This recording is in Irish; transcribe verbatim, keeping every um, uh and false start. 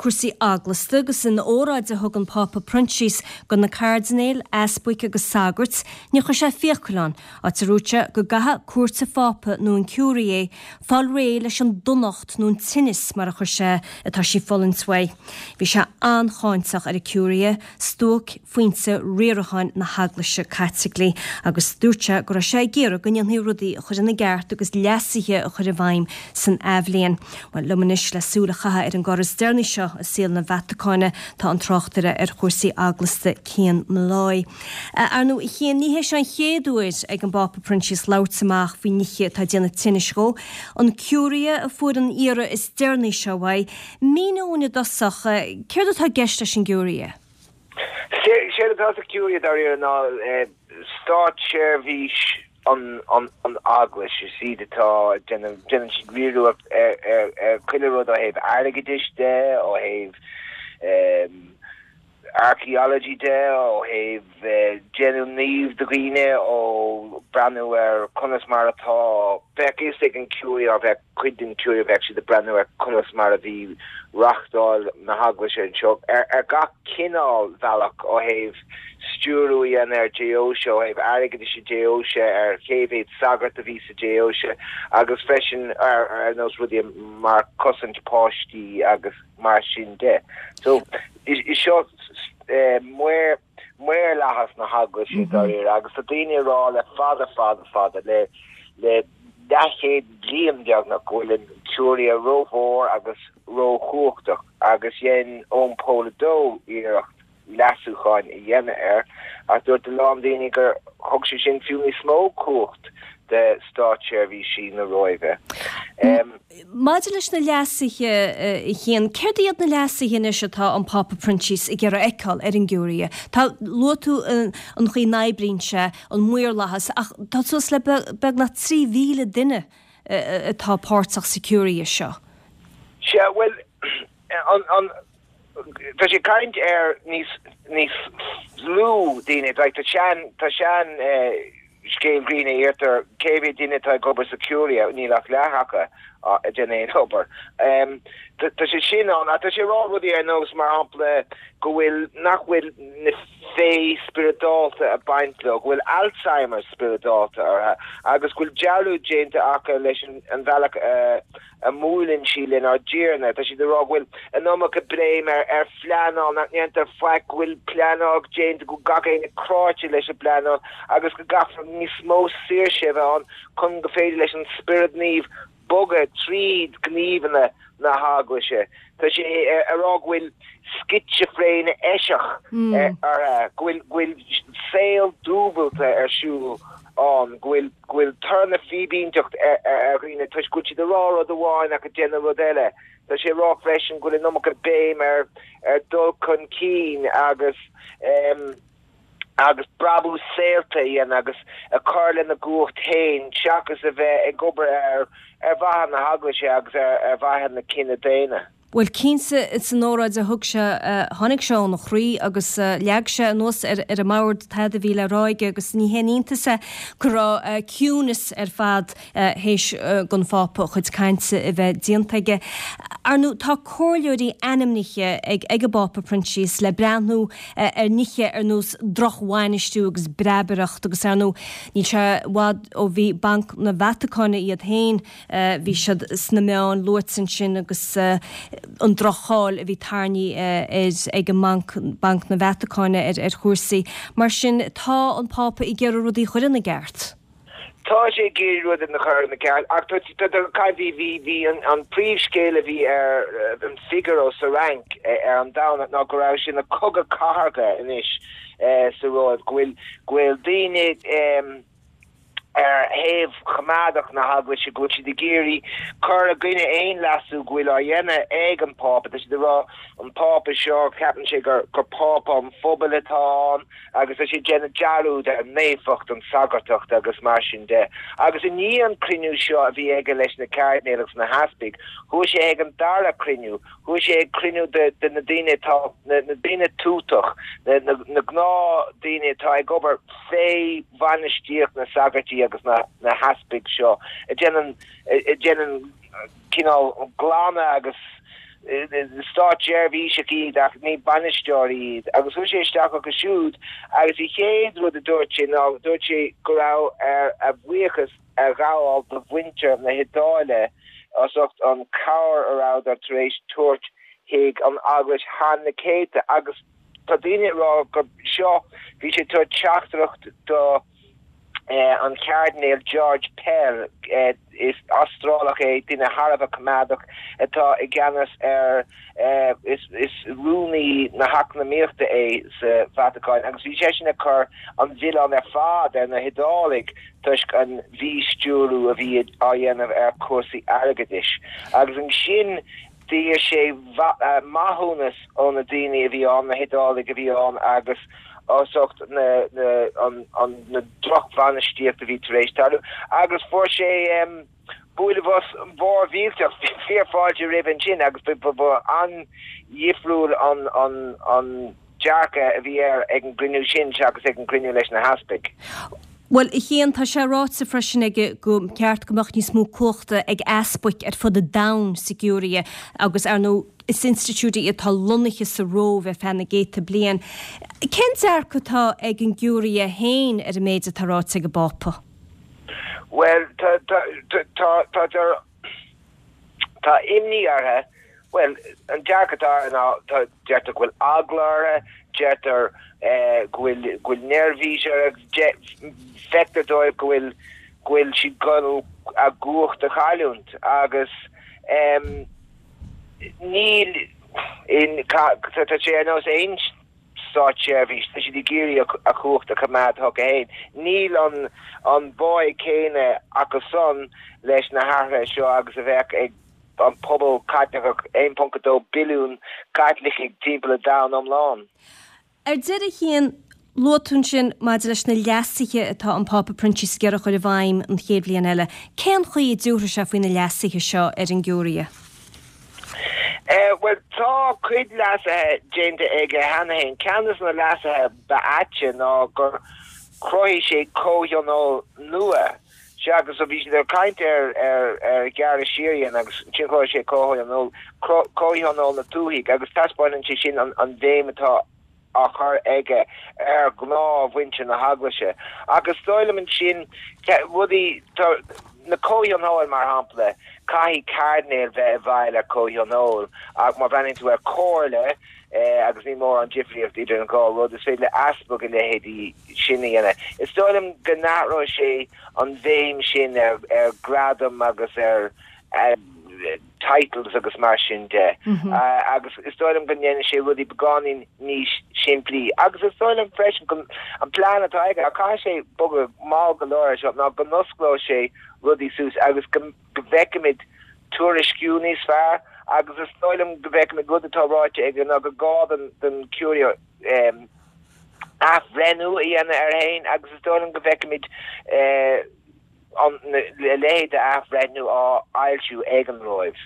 cúrsaí eaglasta agus in óráid a thug an Pápa Proinsias do na cairdinéil, easpaig agus sagairt, ní chuir sé fiacail ann, áit a ndúirt sé go gcaithfidh Cúirt an Phápa nó an Curia fáil réidh leis an donacht nó an tinneas mar a chuir sé atá sí ag fulaingt uaidh. Bhí sé an-cháinteach ar an Curia, stuaicphointe riaracháin na hEaglaise Caitlicí, agus dúirt sé go raibh sé ag iarraidh go ndéanfaí rudaí a chur ina gceart agus leasuithe a chur i bhfeidhm san athbhliain. Bhuel, liom anois le súil a chaitheamh ar an gcor is deireanaí seo i saol na Vatacáine tá an tráchtaire ar chúrsaí eaglasta Cian Molloy. Ar ndóigh, a Chian, ní hé seo an chéad uair ag an bPápa Proinsias labhairt amach faoi nithe atá ag déanamh tinnis dhó. An Curia a fuair an iarraidh is deireanaí seo uaidh. Mínigh dúinn i dtosach, céard atá i gceist leis an gCuria? Séard atá sa Curia dáiríre ná státseirbhís an an eaglais is iad atá déanann siad riaradh ar ar chuile rud ó thaobh airgeadais de ó thaobh archaeology de ó thaobh déanamh naomh de dhaoine ó breathnú ar conas mar atá bheadh fhios ag an Curia bheadh cuid den Curia bheadh siad ag breathnú ar conas mar a bhí reáchtáil na heaglaise anseo ar ar gach cineál bealach ó thaobh stiúrú a dhéanamh ar deoise ó thaobh airgeadais deoise ar cé mhéad sagart a bhí sa deoise agus freisin ar ar nós rudaí mar cosaint páistí agus mar sin de. So is seo maor maorlathas na heaglaise dáiríre agus tá daoine ag rá le fada fada fada le le leathchéad bliain beagnach go bhfuil an Curia rómhór agus róchumhachtach agus dhein Eoin Pól a dó iarracht leasúcháin a dhéanamh air ach dúirt a lán daoine gur thug sé sin fiú níos mó cumhacht de státseirbhísí na Róimhe. Um, Maidir leis na leasuithe a Chian, céard iad na leasuithe anois atá an Pápa Proinsias ag iarraidh a fheiceáil ar an gCuria. Tá luaigh tú an chaoi a n-oibríonn sé an maorlathas ach tá suas le beagnach trí mhíle duine atá páirteach sa Curia seo. Sea bhuel an an Tá sé ag caint ar níos níos lú daoine like, tá sean tá sean eh, scéal grinn a iarrtar cé mhéad duine atá ag obair sa Curia níl ach leath acu ag déanamh aon obair. Um, tá sé sin an tá sé rá rudaí ar nós mar shampla go bhfuil nach bhfuil na féith spioradálta ag baint leo, go bhfuil Alzheimer spioradálta orthu agus go bhfuil dearúd déanta acu leis an, an bhealach uh, a mbuaileann sí lenár dTiarna, Tá siad ag rá go bhfuil an iomarca béim ar ar phleanáil nach ndéantar faic go bhfuil pleanáil déanta go gach éinne cráite leis an bpleanáil agus go gcaithfear níos mó saoirse a bheith ann chun go féidir leis an Spiorad Naomh bogadh tríd gníomhanna na heaglaise. Tá sé ag rá go bhfuil scitsifréine eiseach ar go bhfuil go bhfuil saol dúbailte ar siúl ann go bhfuil go bhfuil tor na fíbínteacht ar dhaoine toisc go bhfuil siad ag rá rud amháin ach ag déanamh rud eile. Tá sé ag rá freisin go bhfuil an iomarca béim ar ar dul chun cinn agus um, agus brabús saolta a dhéanamh agus a chur lena gcumhacht féin seachas a bheith ag obair ar ar mhaithe na heaglaise agus ar ar mhaithe na cine daonna. Bhuel cinnte san óráid a thug sé tháinig sé óna chroí agus leag sé anuas ar ar an mbord cad a bhí le rá aige agus ní haon iontas é go raibh ciúnas ar fad théis don Phápa a chuid cainte a bheith déanta aige. Ar ndóigh tá comhairleoirí ainmnithe ag ag an bPápa Proinsias le breathnú ar nithe ar nós drochbhainistiú agus breabaireacht agus ar ndóigh níl sé i bhfad ó bhí Banc na Vatacáine iad féin bhí siad sna meáin luaite ansin agus an droch-cháil a bhí tarraingthe ag an mbanc Banc na Vatacáine ar ar chúrsaí. Mar sin tá an Pápa ag iarraidh rudaí a chur ina gceart. Tá sé ag iarraidh rudaí a chur ina gceart ach bhí bhí bhí an príomhscéal a bhí ar an Figaro sa Fhrainc ar an Domhnach ná go raibh sin ina cogadh cathartha anois sa Róimh go bhfuil go bhfuil daoine ar thaobh choimeádach na heaglaise go bhfuil siad ag iarraidh cur i gcoinne aon leasú go bhfuil á dhéanamh ag an Pápa. Tá siad ag rá an Pápa seo ceapann sé gur gur Pápa an phobail atá ann agus tá sé ag déanamh dearúd ar naofacht an sagartacht agus mar sin de. Agus i ndiaidh an cruinniú seo a bhí aige leis na cairdinéil agus na heaspaig, chuaigh sé ag an dara cruinniú, chuaigh sé ag cruinniú de, de na daoine atá na, na daoine tuatach, na, na, na gnáthdhaoine atá ag obair fé bhainistíocht na sagartaí agus na, na heaspaig seo, a déanann a déanann cineál glanadh agus Státseirbhíseach iad ach ní bainisteoirí iad agus chuaigh sé isteach chucu siúd agus an chéad rud a dúirt sé ná dúirt sé go raibh air a bhuíochas a ghabháil do mhuintir na hIodáile as ucht an cabhair a rabhadar tar éis tabhairt chuig an eaglais thar na céadta agus tá daoine ag rá gur seo bhí sé ag tabhairt teachtaireacht do an Cairdinéal George Pell is Astrálach é duine thar a bheith coimeádach atá i gceannas ar is is rúnaí na heacnamaíochta é sa Vatacáin agus bhí seisean ag cur an mhilleán ar fad ar na hIodálaigh toisc an mhístiúrú a bhí á dhéanamh ar cúrsaí airgeadais agus ansin d'iarr sé maithiúnas ó na daoine a bhí ann na hIodálaigh a bhí ann agus as ucht na na an an na drochbhainistíocht a bhí tar éis tarlú agus fuair sé um, bualadh bos mhór mhillteach fíorfháilte roimhe ansin agus ba an-dhifriúil an an an dearcadh a bhí air ag an gcruinniú sin seachas ag an gcruinniú leis na heaspaig. Bhuel, a Chian, tá sé ráite freisin aige gur cheart go mbeadh níos mó cumhachta ag easpaig ar fud an domhain sa gCuria agus ar ndóigh is institiúid í atá lonnaithe sa Róimh ar feadh na gcéadta bliain. Cén dearcadh atá ag an gCuria féin ar an méid atá ráite ag an bPápa? Well tá tá tá tá tá imní orthu well an dearcadh atá ná tá deirtear go bhfuil eagla orthu, deirtear eh, go bhfuil go bhfuil neirbhís feictear dóibh go bhfuil go bhfuil siad ag dul a gcumhacht a chailliúint agus um, níl in tá sé ar nós aon státseirbhís tá siad ag iarraidh a gcumhacht a choimeád chucu féin. Níl an an báidh céanna acusan leis na hathruithe seo agus a bheadh ag an pobal Caitliceach aon ponc a dó billiún Caitlicigh timpeall an domhain iomlán. Ar deireadh a Chian luaigh tú ansin maidir leis na leasuithe atá an Pápa Proinsias ag iarraidh a chur i bhfeidhm an chéad bhliain eile. Cén chaoi a dtabharfaidh sé faoi na leasuithe seo ar an gCuria? Uh, well tá cuid leasuithe déanta aige cheana féin ceann de na leasuithe ba aite ná gur chruthaigh sé comhthionól nua. Se agus a bhí siad ag caint ar ar ar gearradh siar agus sin chruthaigh sé comhthionól comhthionól na tuaithe agus taispeánann sé sin an, an bhéim atá á chur aige ar ghnáthmhuintir na heaglaise. Agus dóigh liom ansin rudaí na comhthionóil mar shampla caithfidh cairdinéal bheith i bhfeighil ar comhthionól ach má bhreathnaíonn tú ar comhairle eh, agus ní mór an difríocht idir an dhá rud is féidir le easpag a leithéidí sin a dhéanamh. Is dóigh liom go n-athróidh sé an bhéim sin ar ar gradam agus ar uh, titles agus mar sin de mm -hmm. uh, agus is dóigh liom go ndéanfaidh sé rudaí beagáinín níos simplí agus is dóigh liom freisin go an plean atá aige a caithfidh sé bogadh mall go leor seo ná go n-osclóidh sé rudaí suas agus go bhfeicfimid tuairisciú níos fearr agus is dóigh liom go bhfeicfimid rud atá ráite aige ná go gá den den Curia um, athbhreithniú a dhéanamh air féin agus is dóigh liom go bhfeicfimid uh, an leithéid de athbhreithniú á fhoilsiú ag an Róimh.